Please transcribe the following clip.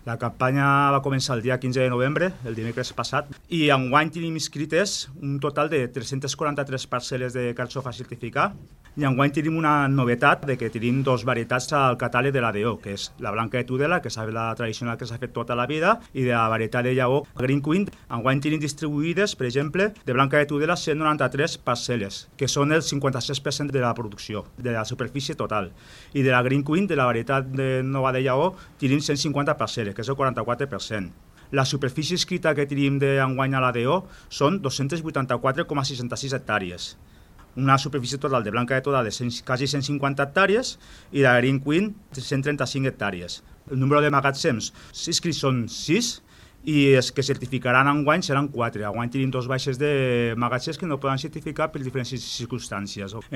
La campanya va començar el dia 15 de novembre, el dimecres passat, i enguany tenim inscrites un total de 343 parcel·les de carxofa certificat, i enguany tenim una novetat de que tenim dos varietats al catàleg de l'ADO, que és la blanca de Tudela, que és la tradicional que s'ha fet tota la vida, i de la varietat de Lleó Green Queen. Enguany tenim distribuïdes, per exemple, de blanca de Tudela 193 parcel·les, que són el 56% de la producció, de la superfície total. I de la Green Queen, de la varietat de nova de Lleó, tenim 150 parcel·les, que és el 44%. La superfície escrita que tenim d'enguany a l'ADO són 284,66 hectàrees. Una superfície total de blanca de Tudela de quasi 150 hectàrees i de Green Queen 135 hectàrees. El número de magatzems inscrits són 6 i els que certificaran enguany seran 4. Enguany tenim 2 baixes de magatzems que no poden certificar per diferents circumstàncies.